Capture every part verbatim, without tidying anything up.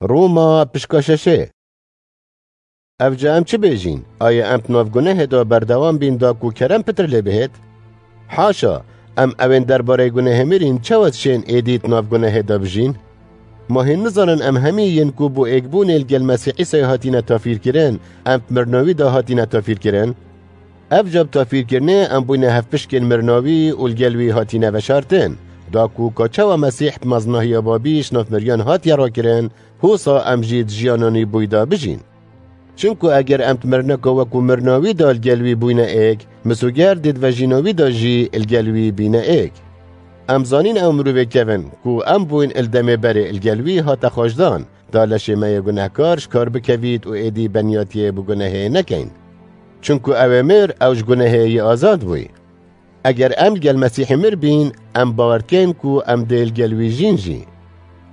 Roma pişka şeşê. Evca em çi bêjîn? Aya em di nav gunehê de berdewam bîn da ku kerem pitir lê bihêt? Haşa, em ewên derbarê gunehê mirîn çawa dişên êdî di nav gunehê de bijîn? Ma hîn nizanin em hemî yên ku bo êkbûnê li gel Mesîh Îsayê hatine tafîrkirin, em di mirina wî de hatine tafîrkirin? Evca bi tafîrkirinê em bûyne hevpişkên mirina wî û li gel wî hatine veşartin. Da ku ka çawa Mesîh bi mezinahiya Babî ji nav miriyan hatiye rakirin, hosa em jî di jiyana nî bûyî de bijîn. Çimku eger em di mirineka wekû mirina wî de li gel wî bûyne êk, misoger dê di vejîna wî de jî li gel wî bîne êk. Em zanîn ew mirovê kevin ku em bûyn li demê berê li gel wî hate xweşdan, da leşê me yê gunehkar ji kar bikevît û êdî benyatiyê bi gunehê nekeyn. Çimku ew ê mir, ew ji gunehê yê azad bûy. Eger em li gel Mesîhê mir bîn, em bawer dikeyn ku em dê li gel wî jîn jî.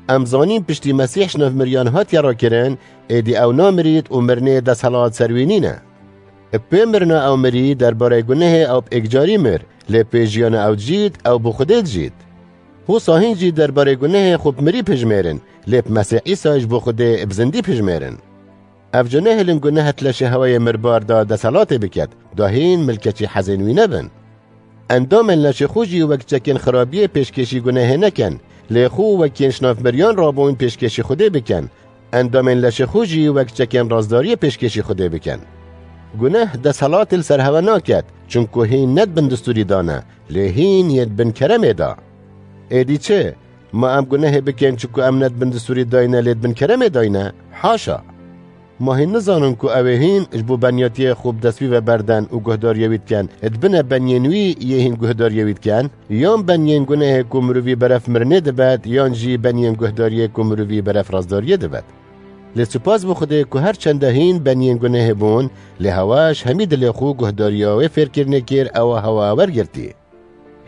Em zanîn piştî Mesîh ji nav miriyan hatiye rakirin, êdî ew namirît û mirinê desthilat ser wî nîne. Bi pê mirina ew mirî derbarê gunehê ew bi êkcarî mir, lê pê jiyana ew dijît, ew bi Xwedê dijît. Hosa hîn jî derbarê gunehê xwe bi mirî pijmêrin, lê bi Mesîh Îsa ji bo Xwedê bi zindî pijmêrin. Evca nehêlin guneh di leşê hewayê mirbar de desthilatê biket, da hîn milkeçî hezên wî nebin. Endamên leşê xwe jî wek çekên xirabiyê pêşkêşî gunehê nekin, lê xwe wek yên ji nav miriyan rabûn pêşkêşî Xwedê bikin. Endamên leşê xwe jî wek çekên razdariyê pêşkêşî Xwedê bikin. Guneh desthilatê li ser hewe naket, çimku hîn ne di bin distûrî de ne, lê hîn yê di bin keremê de. Êdî çi? Ma em gunehê bikin, çimku em ne di bin distûrî dayne, lê di bin keremê dayne? Haşa! Ma hîn nizanin ku ew ê hîn ji bo benyatiyê xwe bi dest wî ve berden û guhdariyê wî dikin, di bine benyên wî yê hîn guhdariyê wî dikin? Yan benyên gunehê ku mirovî beref mirinê dibet, yan jî benyên guhdariyê ku mirovî beref razdariyê dibet? Lê spas bo Xwedê ku her çende hîn benyên gunehê bûn, lê hewa ji hemî dilê xwe guhdariya wê fêrkirinê kir, ewa hewa wergirtî.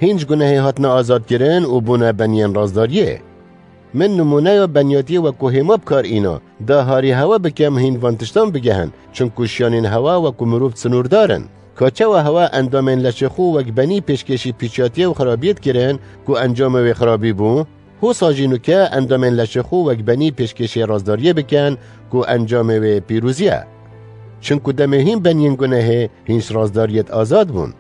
Hîn ji gunehê hatine azadkirin û bûne beniyên razdariyê. Min nimûneya beniyatiyê wekû hêma bi kar îna, da harî hewa bikem hîn van tiştan bigehin, çimku şiyanên hewa wekû mirov sinûrdar in. Ka çawa hewa endamên leşê xwe wek benî pêşkêşî pîçatiyê û xirabiyê dikirin ku encamê wê xirabî bû, hosa jî nûke endamên leşê xwe wek benî pêşkêşê razdariyê bikin ku encamê wê pîrozî ye. Çimku demê hîn beniyên gunehê hîn ji razdariyê azad bûn.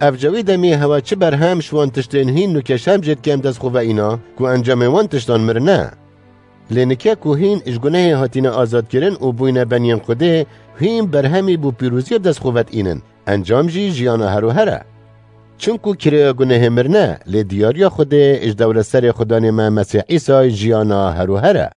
Evca wî demê hewa çi berhem ji wan tiştên hîn nûke şerm jê dikem dest xwe ve îna ku encamê wan tiştan mirin e. Lê nike ku hîn ji gunehê hatine azadkirin û bûyne beniyên Xwedê, hîn berhemî bo pîroziyê bi dest xwe ve diînin. Encam jî jiyana her û her e. Çimku kirêya gunehê mirin e, lê diyariya Xwedê ji dewlet serê Xudanê me Mesîh Îsay jiyana her û her e.